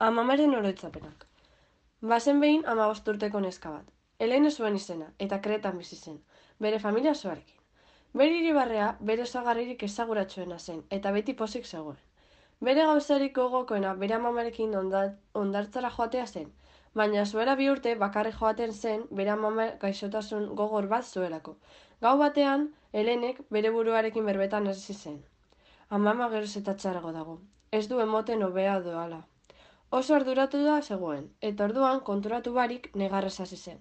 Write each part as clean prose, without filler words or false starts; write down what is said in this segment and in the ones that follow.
Amamaren oroitzapenak. Bazen behin 15 urteko neska bat. Helene zuen izena, eta Kretan bizi zen, bere familia osoarekin. Bere hiribarrea bere osagarririk ezaguratsuena zen, eta beti pozik zegoen. Bere gauzarik gogokoena bere amamarekin hondartzara joatea zen, baina zuela 2 urte bakarrik joaten zen bere amama gaixotasun gogor bat zuelako. Gau batean, Helenek bere buruarekin berbetan hasi zen. Amama geroz eta txarrago dago, ez du emoten hobea doala. Oso arduratu da zegoen, eta orduan konturatu barik negarrez hasi zen.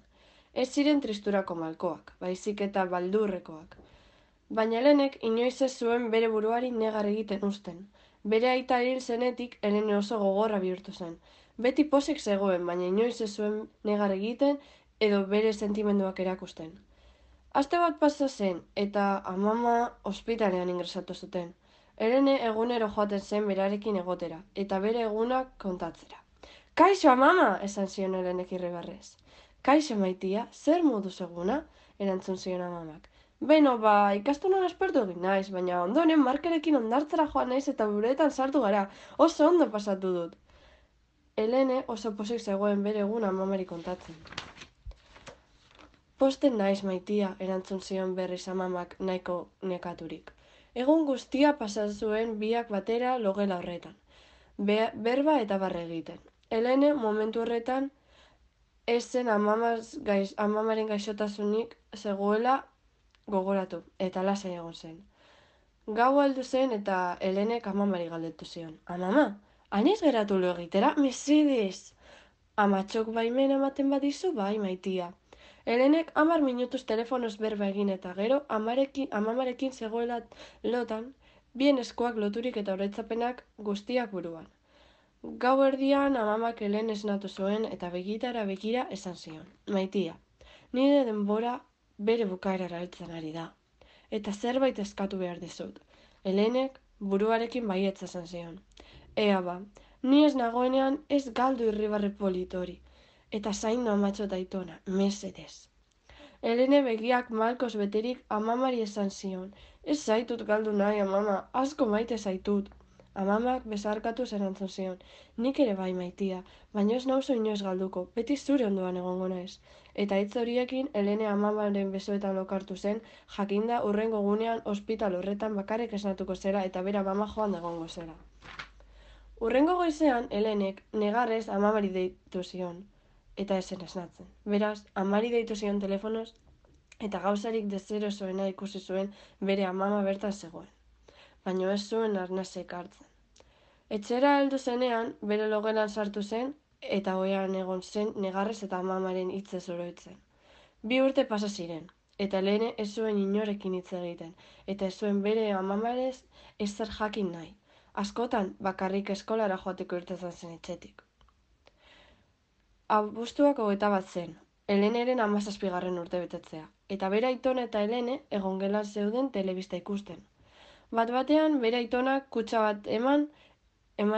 Ez ziren tristurako malkoak, baizik eta baldurrekoak. Baina Helenek inoiz ez zuen bere buruari negar egiten uzten. Bere aita hil zenetik Helene oso gogorra bihurtu zen. Beti pozik zegoen, baina inoiz ez zuen negar egiten edo bere sentimenduak erakusten. Aste bat pasa zen, eta amama ospitalean ingresatu zuten. Helene egunero joaten zen berarekin egotera, eta bere egunak kontatzera. Kaixo, amama, esan zion Helenek irribarrez. Kaixo, maitia, zer moduz eguna? Erantzun zion amamak. Beno, ikastolan aspertu egin naiz, baina ondoren Markerekin hondartzara joan naiz eta buretan sartu gara, oso ondo pasatu dut. Helene oso pozik zegoen bere eguna amamari kontatzen. Posten naiz, maitia, erantzun zion berriz amamak nahiko nekaturik. Egun guztia pasa zuen biak batera logela horretan. Berba eta barre egiten. Helene momentu horretan ez zen amamaren gaixotasunik zegoela gogoratu, eta lasai egon zen. Gau heldu zen eta Helenek amamari galdetu zion. Amama, aniz geratu lo egitera, mesedez! Amatxok baimen ematen badizu, bai, maitia. Helenek 10 minutuz telefonoz berba egin eta gero amamarekin zegoela lotan, bien eskuak loturik eta oroitzapenak guztiak buruan. Gau erdian amamak Helene esnatu zuen eta begitara begira esan zion. Maitia, nire denbora bere bukaerara heltzen ari da. Eta zerbait eskatu behar dizut. Helenek buruarekin baietza esan zion. Ea ba, ni ez nagoenean ez galdu irribarre politori. Eta zaindu amatxo eta aitona, mesedez. Helene begiak malkoz beterik amamari esan zion. Ez zaitut galdu nahi, amama, asko maite zaitut. Amamak besarkatuz erantzun zion. Nik ere bai, maitia, baina ez nauzu inoiz galduko, beti zure ondoan egongo naiz. Eta hitz horiekin Helene amamaren besoetan lokartu zen, jakinda hurrengo gunean ospital horretan bakarrik esnatuko zera eta bera amama joan egongo zera. Hurrengo goizean Helenek negarrez amamari deitu zion. Eta esen esnatzen. Beraz, amari deitu zion telefonoz, eta gauzarik deserosoena ikusi zuen bere amama bertan zegoen. Baina ez zuen arnasek hartzen. Etxera heldu zenean, bere logelan sartu zen, eta ohean egon zen negarrez eta amamaren hitzez oroitzen. 2 urte pasa ziren, eta Helene ez zuen inorekin hitz egiten, eta ez zuen bere amamarez ezer jakin nahi. Askotan, bakarrik eskolara joateko irtetzen zen etxetik. Abuztuak 21 zen, Heleneren 17. urte betetzea, eta bere aitona eta Helene egongelan zeuden telebista ikusten. Bat-batean bere aitonak kutxa bat eman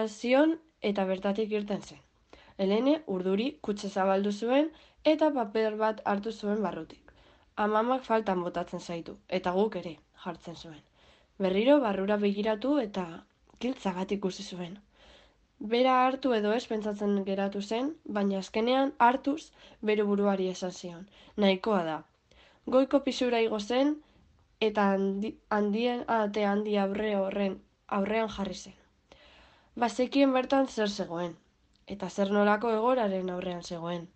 zion eta bertatik irten zen. Helene urduri kutxa zabaldu zuen eta paper bat hartu zuen barrutik. Amamak faltan botatzen zaitu, eta guk ere, jartzen zuen. Berriro barrura begiratu eta giltza bat ikusi zuen. Bera hartu edo ez pentsatzen geratu zen, baina azkenean hartuz bere buruari esan zion. Nahikoa da. Goiko pisura igo zen eta ate handi aurrean jarri zen. Bazekien bertan zer zegoen, eta zer nolako egoraren aurrean zegoen.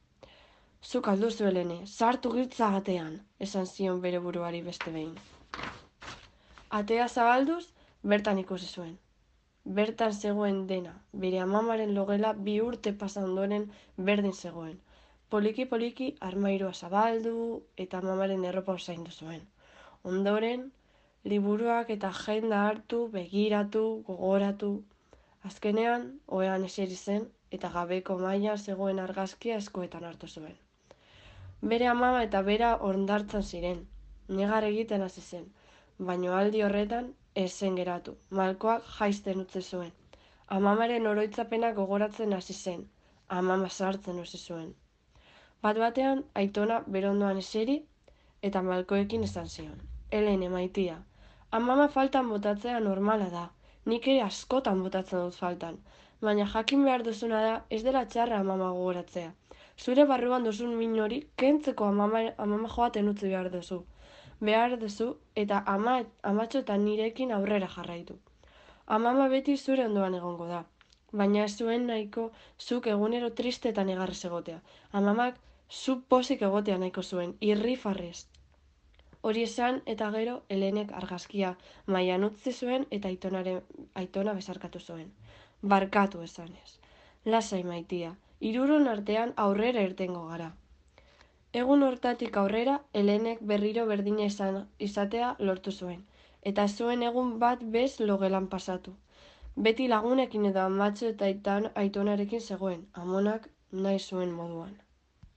Zuk alduzu Helene, sartu giltza atean, esan zion bere buruari beste behin. Atea zabalduz, bertan ikusi zuen. Bertan zegoen dena, bere amamaren logela 2 urte pasa ondoren berdin zegoen. Poliki-poliki armairua zabaldu eta amamaren erropa osaindu zuen. Ondoren, liburuak eta agenda hartu, begiratu, gogoratu. Azkenean, ohean eseri zen eta gabeko maila zegoen argazkia eskuetan hartu zuen. Bere amama eta bera hondartzan ziren, negar egiten hasi zen, baina aldi horretan ez zen geratu, malkoak jaisten utzi zuen. Amamaren oroitzapena gogoratzen hasi zen, amama sartzen hasi zuen. Bat-batean, aitona berondoan eseri eta malkoekin esan zion. Helene, maitia, amama faltan botatzea normala da, nik ere askotan botatzen dut faltan, baina jakin behar duzuna da ez dela txarra amama gogoratzea. Zure barruan duzun min hori kentzeko amama joaten utzi behar duzu eta amatxo eta nirekin aurrera jarraitu. Amama beti zure ondoan egongo da, baina ez zuen nahiko zuk egunero tristetan egarrez egotea. Amamak zu pozik egotea nahiko zuen, irrifarrez. Hori esan eta gero Helenek argazkia mahaian utzi zuen eta aitona besarkatu zuen. Barkatu esanez. Lasai maitia, hiruron artean aurrera irtengo gara. Egun hortatik aurrera Helenek berriro berdina izatea lortu zuen, eta zuen egun bat bez logelan pasatu. Beti lagunekin edo amatxo eta aitonarekin zegoen, amonak nahi zuen moduan.